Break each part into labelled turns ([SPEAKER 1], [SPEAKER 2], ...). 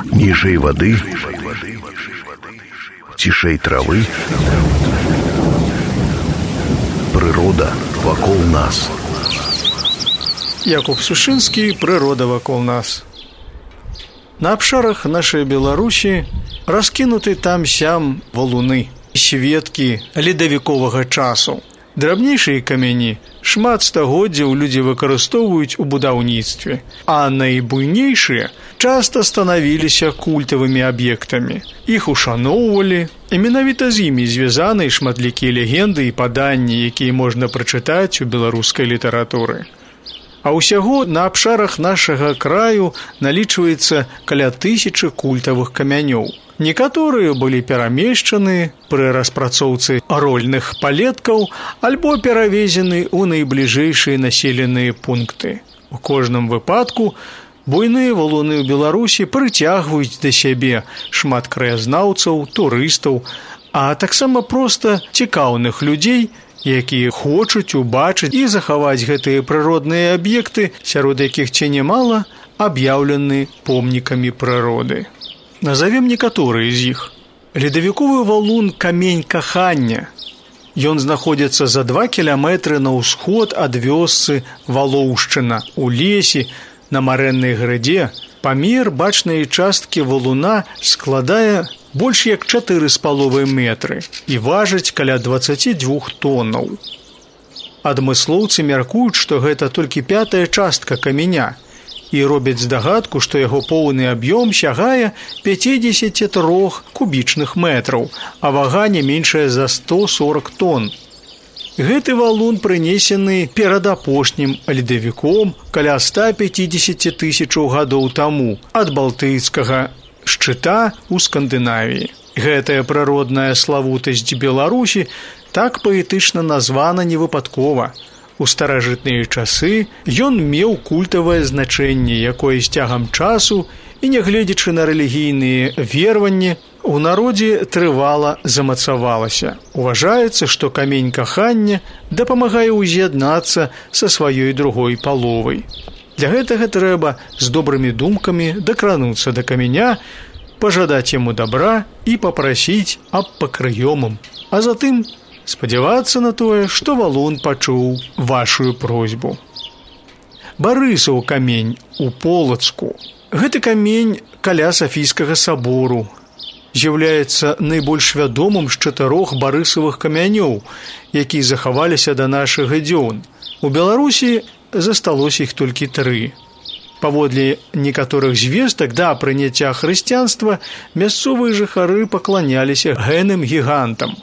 [SPEAKER 1] Ніжэй вады, цішэй травы, прырода вакол нас.
[SPEAKER 2] Якуб Сушынскі, «Прырода вакол нас». На абшарах нашай Беларусі раскінуты там-сям валуны, сведкі ледавіковага часу. Драбнейшыя камяні шмат стагоддзяў людзі выкарыстоўваюць у будаўніцтве, а найбуйнейшыя часта станавіліся культавымі аб'ектамі. Іх ушаноўвалі, і менавіта з імі звязаны шматлікія легенды і паданні, якія можна прачытаць у беларускай літаратуры. А ўсяго на абшарах нашага краю налічваецца каля 1000 культавых камянёў. Некаторыя былі перамешчаны пры распрацоўцы рольных палеткаў альбо перавезены ў найбліжэйшыя населеныя пункты. У кожным выпадку буйныя валуны ў Беларусі прыцягваюць да сябе шмат краязнаўцаў, турыстаў, а таксама проста цікаўных людзей, якія хочуць убачыць і захаваць гэтыя прыродныя аб'екты, сярод якіх ці немала аб'яўлены помнікамі прыроды. Назовем некаторыя з іх. Ледавіковы валун Камень кахання. Ён знаходзіцца за 2 кіламетры на ўсход ад вёсцы Валоўшчына у лесе на марэннай градзе. Памер бачнай часткі валуна складае больш як 4,5 метры і важыць каля 22 тоннаў. Адмыслоўцы мяркуюць, што гэта толькі 5-я частка каменя, і робяць здагадку, што яго поўны аб'ём сягае 53 кубічных метраў, а вага не меншая за 140 тонн. Гэты валун прынесены перад апошнім ледавіком каля 150 000 гадоў таму ад балтыйскага шчыта ў Скандынавіі. Гэтая прыродная славутасць Беларусі так паэтычна названа невыпадкова. У старажытныя часы ён меў культавае значэнне, якое з цягам часу і, нягледзячы на рэлігійныя вераванні, у народзе трывала замацавалася. Уважаецца, што камень кахання дапамагае ўз'яднацца са сваёй другой паловай. Для гэтага трэба з добрымі думкамі дакрануцца да каменя, пажадаць яму добра і папрасіць аб пакрыёмам, а затым спадзявацца на тое, што валун пачуў вашую просьбу. Барысаў камень у Полацку. Гэты камень каля Сафійскага сабору з'яўляецца найбольш вядомым з 4 барысавых камянёў, якія захаваліся да нашых дзён. У Беларусі засталося іх толькі 3. Паводле некаторых звестак да прыняцця хрысціянства мясцовыя жыхары пакланяліся гэнным гігантам.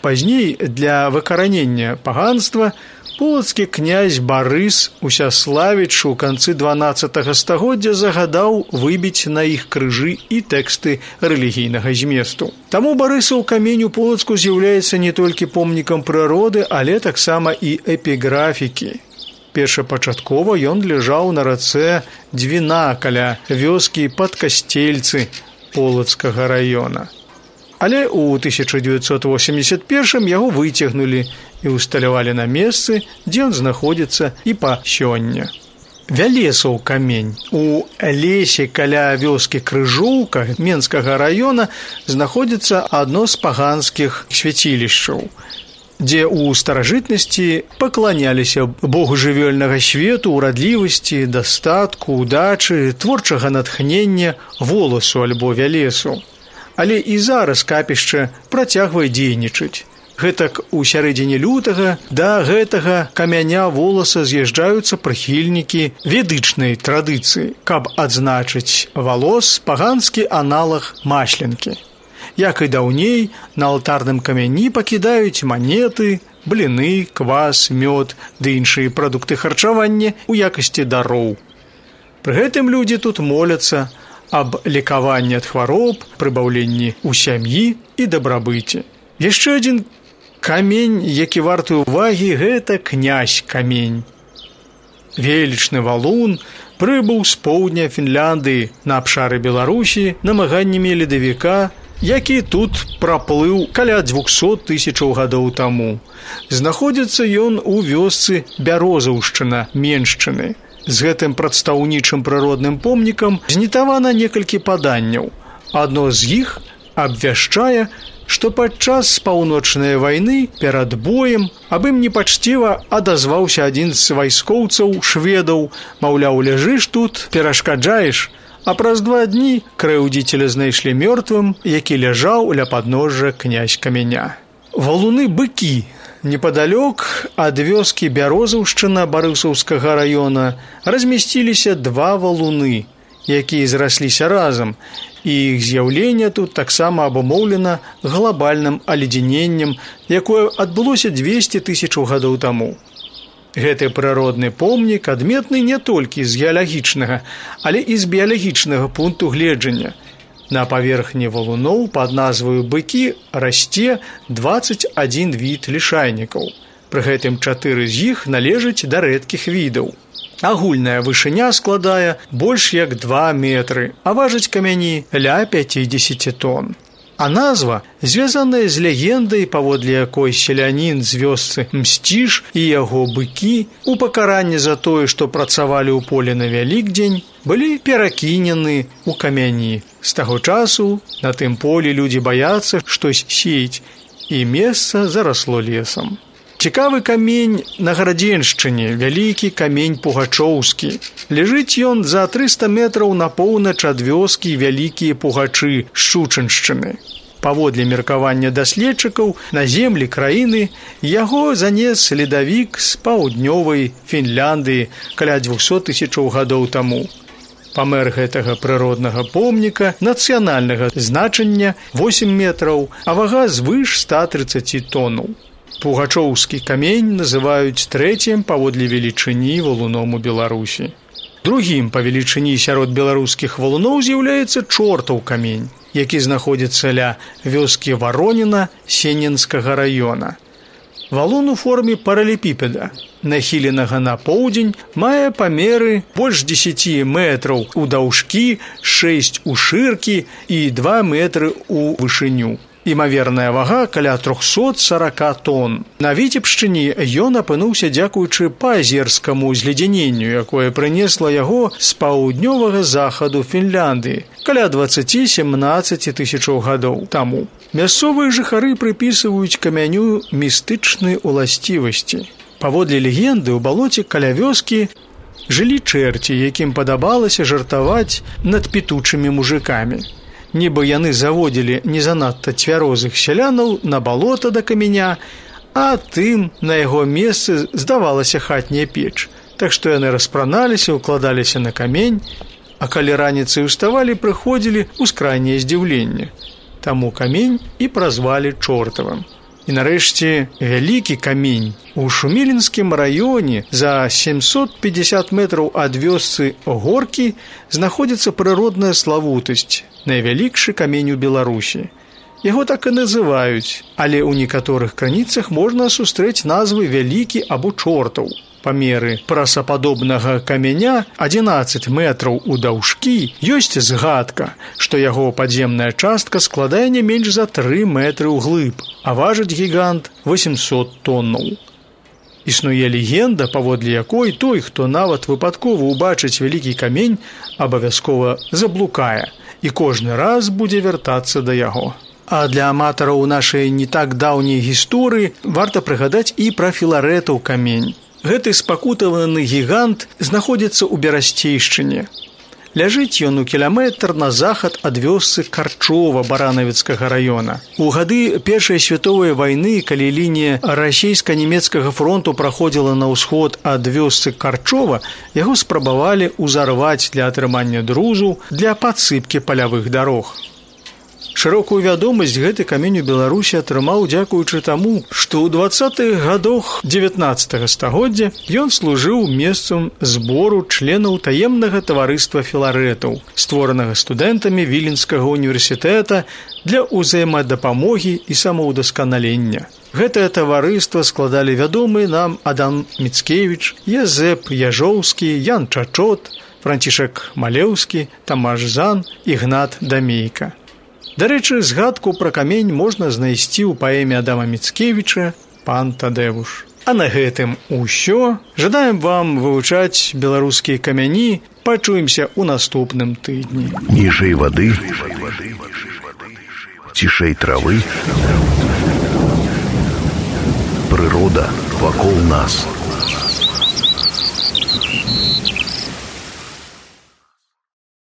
[SPEAKER 2] Пазней для выкаранення паганства полацкі князь Барыс Усяславіч у канцы 12 стагоддзя загадаў выбіць на іх крыжы і тэксты рэлігійнага зместу. Таму барысаў камень у Полацку з'яўляецца не толькі помнікам прыроды, але таксама і эпіграфікі. Першапачаткова ён ляжаў на рацэ Двіна каля вёскі Падкасцельцы Полацкага раёна. Але ў 1981 яго выцягнулі і ўсталявалі на месцы, дзе ён знаходзіцца і па сёння. Вялесаў камень. У лесе каля вёскі Крыжоўка Менскага раёна знаходзіцца адно з паганскіх свяцілішчаў, дзе ў старажытнасці пакланяліся богу жывёльнага свету, урадлівасці, дастатку, удачы, творчага натхнення, воласу альбо вялесу. Але і зараз капішча працягвае дзейнічаць. Гэтак у сярэдзіне лютага да гэтага камяня воласа з'язджаюцца прыхільнікі ведычнай традыцыі, каб адзначыць волос паганскі аналаг масленкі. Як і даўней, на алтарным камяні пакідаюць манеты, бліны, квас, мёд ды іншыя прадукты харчавання ў якасці дароў. Пры гэтым людзі тут моляцца аб лекаванні ад хвароб, прыбаўленні ў сям'і і дабрабыце. Яшчэ адзін камень, які варты ўвагі, гэта князь камень. Велічны валун прыбыў з поўдня Фінляндыі на абшары Беларусі намаганнямі ледавіка, які тут праплыў каля 200 000 гадоў таму. Знаходзіцца ён у вёсцы Бярозаўшчына Меншчыны. З гэтым прадстаўнічым прыродным помнікам знітавана некалькі паданняў. Адно з іх абвяшчае, што падчас паўночнай вайны перад боем аб ім непачціва адазваўся адзін з вайскоўцаў шведаў, маўляў, ляжыш тут, перашкаджаеш, а праз 2 дні крэўдзіцеля знайшлі мёртвым, які ляжаў ля падножжа князь Каменя. Валуны Быкі. Непадалёк ад вёскі Бярозаўшчына Барысаўскага раёна размясціліся 2 валуны, якія зрасліся разам, і іх з'яўленне тут таксама абумоўлена глобальным аледзяненнем, якое адбылося 200 000 гадоў таму. Гэты прыродны помнік адметны не толькі з геалагічнага, але і з біялагічнага пункту гледжання. На паверхні валуноў пад назваю Быкі расце 21 від лішайнікаў. Пры гэтым 4 з іх належаць да рэдкіх відаў. Агульная вышыня складае больш як 2 метры, а важыць камяні ля 50 тонн. А назва звязаная з легендай, паводле якой селянін з вёсцы Мсціж і яго быкі у пакаранні за тое, што працавалі ў поле на Вялікдзень, былі перакінены ў камяні. З таго часу на тым полі людзі баяцца штось сеяць, і месца зарасло лесам. Цікавы камень на Гарадзеншчыне, вялікі камень Пугачоўскі. Ляжыць ён за 300 метраў на поўнач ад вёскі Вялікія Пугачы Шчучыншчыны. Паводле меркавання даследчыкаў, на землі краіны яго занес ледавік з паўднёвай Фінляндыі каля 200 000 гадоў таму. Памер гэтага прыроднага помніка нацыянальнага значання 8 метраў, а вага звыш 130 тоннаў. Пугачоўскі камень называюць 3-м паводле велічыні валуном у Беларусі. Другім па велічыні сярод беларускіх валуноў з'яўляецца Чортаў камень, які знаходзіцца ля вёскі Вароніна Сененскага раёна. Валун у форме паралепіпеда, нахіленага на поўдзень, мае памеры больш 10 метраў у даўжкі, 6 у шыркі і 2 метры у вышыню. Імаверная вага каля 340 тонн. На Віцебшчыне ён апынуўся дзякуючы паазерскаму зледзяненню, якое прынесла яго з паўднёвага захаду Фінляндыі каля 20-17 000 гадоў таму. Мясцовыя жыхары прыпісваюць камяню містычныя уласцівасці. Паводле легенды, у балоце каля вёскі жылі чэрці, якім падабалася жартаваць над пітучымі мужикамі. Нібы яны заводзілі не занадта цвярозых сялянаў на балота да каменя, а тым на яго месцы здавалася хатняя печ. Так што яны распраналіся, укладаліся на камень, а калі раніцай уставалі, прыходзілі ў скрайняе здзіўленне. Таму камень і празвалі Чортавым. І нарэшце вялікі камень. У Шумілінскім раёне за 750 метраў ад вёсцы Горкі знаходзіцца прыродная славутасць, найвялікшы камень у Беларусі. Яго так і называюць, але ў некаторых крыніцах можна сустрэць назвы Вялікі або Чортаў. Памеры прасападобнага каменя 11 метраў у даўжкі, ёсць згадка, што яго падземная частка складае не менш за 3 метры ўглыб, а важыць гігант 800 тоннаў. Існуе легенда, паводле якой той, хто нават выпадкова ўбачыць вялікі камень, абавязкова заблукае і кожны раз будзе вяртацца да яго. А для аматараў нашай не так даўняй гісторыі варта прыгадаць і пра Філарэтаў камень. Гэты спакутаваны гігант знаходзіцца ў Берасцейшчыне. Ляжыць ён у кіламетр на захад ад вёсцы Карчова Баранавіцкага раёна. У гады Першай световай вайны, калі лінія расійска-нямецкага фронту праходзіла на ўсход ад вёсцы Карчова, яго спрабавалі ўзарваць для атрымання друзу для падсыпкі палявых дарог. Шырокую вядомасць гэты камень у Беларусі атрымаў дзякуючы таму, што ў 20-х гадах 19 стагоддзя ён служыў месцам збору членаў таемнага таварыства Філарэтаў, створанага студэнтамі Віленскага універсітэта для ўзаемадапамогі і самаўдасканалення. Гэтае таварыства складалі вядомыя нам Адам Міцкевіч, Язэп Яжоўскі, Ян Чачот, Францішак Малеўскі, Тамаш Зан, Ігнат Дамейка. Дарэчы, згадку пра камень можна знайсці ў паэме Адама Міцкевіча «Пан Тадэвуш». А на гэтым усё. Жадаем вам вывучаць беларускія камяні. Пачуемся ў наступным тыдні.
[SPEAKER 1] Ніжэй вады, цішэй травы, прырода вакол нас.